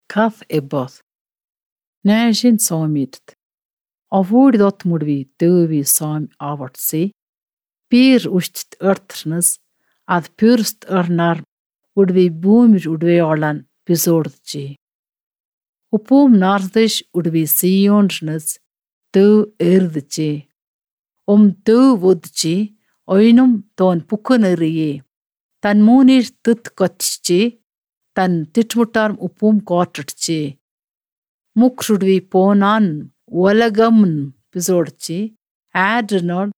Cath e both. Näisin saamit. Avuurdot murvi tøvi saam avartsi. Piir ust örtrnes ad pürst örnar udvi boomir udveolan pisordji. Upum nardish udvi sionrnes tøv erdji. Tøv vudji oinum ton pukuneriye. தன் மூனிர் தித் கொச்சி தன் திட்முட்டார் உப்பும் கோட்டட்சி. முக்ருடுவி போனான் உலகம் பிசோಡ್ಚಿ ಆಡ್ರನೋಡ್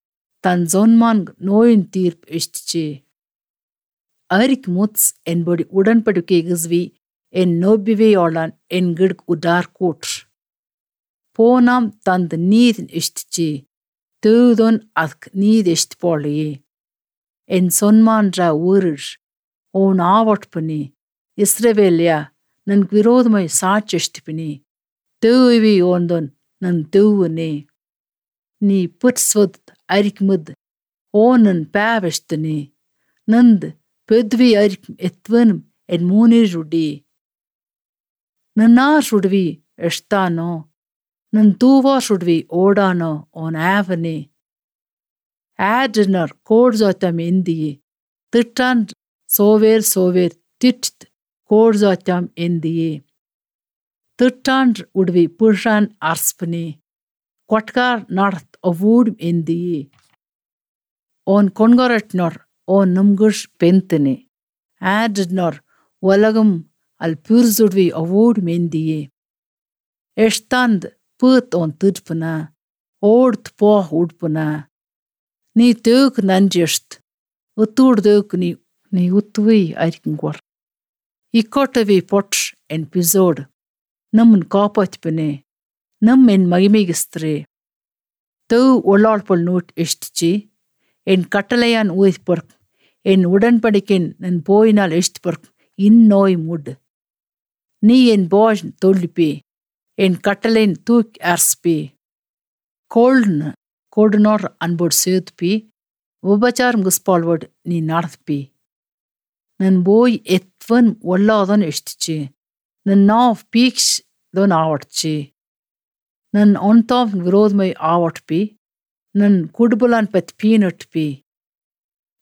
ತನ್ ಜೊನ್ಮಾನ್ ನೋಯಿನ್ ತೀರ್ಪ್ ಇಷ್ಟ್ಚಿ. ಅರಿಕ್ ಮುತ್ಸ್ ಎನ್ಬೊಡಿ ಉಡನ್ಪಡಿಕೆ ಗಿಸ್ವಿ ಎನ್ ನೋಬ್ಬಿವೆಯೋಳನ್ ಎನ್ ಗಿಡ್ಕ್ ಉಡಾರ್ ಕೂಟ್ರ್. ಪೋನಾಮ್ ತಂದ್ ನೀದ್ ಇಷ್ಟ್ಚಿ ತೂದೊನ್ ಅದ್ಕ್ ನೀದ್ ಇಷ್ಟ್ಪೋಳಿಯೇ. ಎನ್ ಸೊನ್ಮಾನ್ರ ಊರಿರ್ ಓನ್ ಆವಟ್ಪನಿ ಇಸ್ರವೇಲ್ಯ ನನ್ಗ್ ವಿರೋಧಮೈ ಸಾಚೆಷ್ಟ್ಪಿನಿ ತೂವಿ ಓಂದೊನ್ ನನ್ ತೂವನೆ. ನೀ ಪುಟ್ಸ್ವದ್ ಅರಿಕ್ಮದ್ ಓ ನನ್ ಪ್ಯಾವೆಷ್ಟ್ನಿ ನಂದ್ ಪೆದ್ವಿ ಅರಿಕ್ ಎತ್ವನ್ ಎನ್ ಮೂನಿರುಡಿ. ನನ್ನಾರುಡ್ವಿ ಎಷ್ಟಾನೋ ನನ್ ತೂವಾರುಡ್ವಿ ಓಡಾನೋ ಓನ್ ಆವನೆ. ಆಡ್ರನರ್ ಕೋಡ್ಜಾತಮ್ ಎಂದಿಯೇ ತಿಟ್ಟಾನ್ ಸೋವೇರ್ ಸೋವೇರ್ ತಿಟ್ ಕೋಡ್ಜಾತಮ್ ಎಂದಿಯೇ. ತಿಟ್ಟಾನ್ ಉಡ್ವಿ ಪುರ್ಷಾನ್ ಅರ್ಸ್ಪನಿ ಕೊಟ್ಕಾರ್ ನಡ್ತ್ ಅವೂಡ್ ಎಂದಿಯೇ. ಓನ್ ಕೊಣ್ಗೊರಟ್ನೋರ್ ಓನ್ ನಮ್ಗುಷ್ ಪೆಂತನೆ ಆಡ್ರನೋರ್ ಒಲಗಂ ಅಲ್ ಪುರ್ಜುಡ್ವಿ ಅವೂಡ್ ಮೆಂದಿಯೇ. ಎಷ್ಟಾಂದ್ ಪೂತ್ ಓನ್ ತಿಡ್ಪನ ಓಡ್ತ್ ಪೋ ಉಡ್ಪನ. ನೀ ತೇಕ್ ನಂಜೆಷ್ಟ್ ಉತ್ತೂಡ್ದೇಕ್ ನೀ ನೀ ಉತ್ತುವಿ ಅರಿಕಂಗ್ವರ್. ಇಕ್ಕೊಟ್ಟವಿ ಪೊಟ್ರ್ ಎನ್ ಪಿಸೋಡ್ ನಮ್ಮನ್ ಕಾಪಾತ್ಪನೆ ನಮ್ ಎನ್ ಮಗಿಮಿಗಿಸ್ತ್ರೆ. ತೇವ್ ಒಳ್ಳಾಳ್ಪೊಳ್ ನೂಟ್ ಎಷ್ಟ್ಚಿ ಎನ್ ಕಟ್ಟಲೆಯಾನ್ ಊಯ್ತ್ ಪೊರ್ಕ್ ಎನ್ ಉಡನ್ಪಡಿಕೆನ್ ನನ್ ಪೋಯಿನಾಲ್ ಎಷ್ಟ್ ಪೊರ್ಕ್ ಇನ್ನೋಯ್ ಮುಡ್. ನೀ ಎನ್ ಬಾಜ್ ತೊಳ್ಳಿಪಿ ಎನ್ ಕಟ್ಟಲೆನ್ ತೂಕ್ ಅರ್ಸ್ಪಿ. ಕೋಲ್ಡ್ನ್ ಕೋಡ್ನೋರ್ ಅನ್ಬೋಡ್ ಸೇದ್ಪಿ ಉಪಚಾರ ಮುಗಿಸ್ಪಾಳ್ವಡ್ ನೀ ನಡ್ದ್ಪಿ. ನನ್ ಬೋಯ್ ಎತ್ವನ್ ಒಳ್ಳಾದನ್ ಎಷ್ಟ್ಚಿ ನನ್ ನಾವ್ ಪೀಕ್ಷ್ ದೊನ್ ಆವಟ್ಚಿ. ನನ್ ಒಂತಾವ್ ವಿರೋಧಮೈ ಆವಟ್ಪಿ ನನ್ ಕುಡ್ಬುಲಾನ್ ಪತ್ ಪೀನಟ್ಪಿ.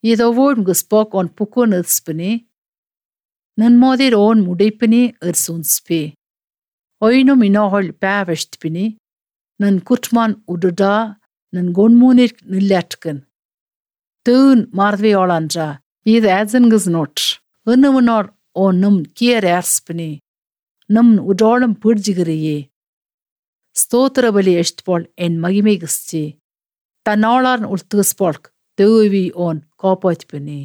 ಇದವೋಡ್ ಮುಗಿಸ್ಪಾಕ್ ಓನ್ ಪುಕುನ್ ಇರ್ಸ್ಪಿನಿ ನನ್ ಮೋದಿರ್ ಓನ್ ಮುಡಿಪಿನಿ ಇರ್ಸುನ್ಸ್ಪಿ. ಒಯ್ನು ಮಿನೋಹೊಳ್ ಪ್ಯಾವೆಷ್ಟ್ಪಿನಿ ನನ್ ಕುಟ್ಮಾನ್ ಉಡುಡಾ ನನ್ ಗೊಂಡ್ಮೂನಿರ್ ನಿಲ್ಯಾಟ್ಕನ್. ತೂನ್ ಮಾರ್ದ್ವಿಯೋಳನ್ರ ಇದು ಆಜನ್ಗಸ್ ನೋಟ್ರ್ 은ನುವನೋರ್ ಓ ನಮ್ ಕಿಯರ್ ಆರ್ಸ್ಪಿನಿ ನಮ್ ಉಡೋಳಂ ಪುಡ್ಜಿಗಿರಿಯೇ. ಸ್ತೋತ್ರ ಬಲಿ ಎಷ್ಟ್ಪೋಳ್ ಎನ್ ಮಗಿಮಿಗಿಸ್ಚಿ ತನ್ನಾಳಾರ್ನ್ ಉಳ್ತುಗಿಸ್ಪೋಳ್ಕ್ ತೇವಿ ಓನ್ ಕಾಪಾತ್ಪಿನಿ.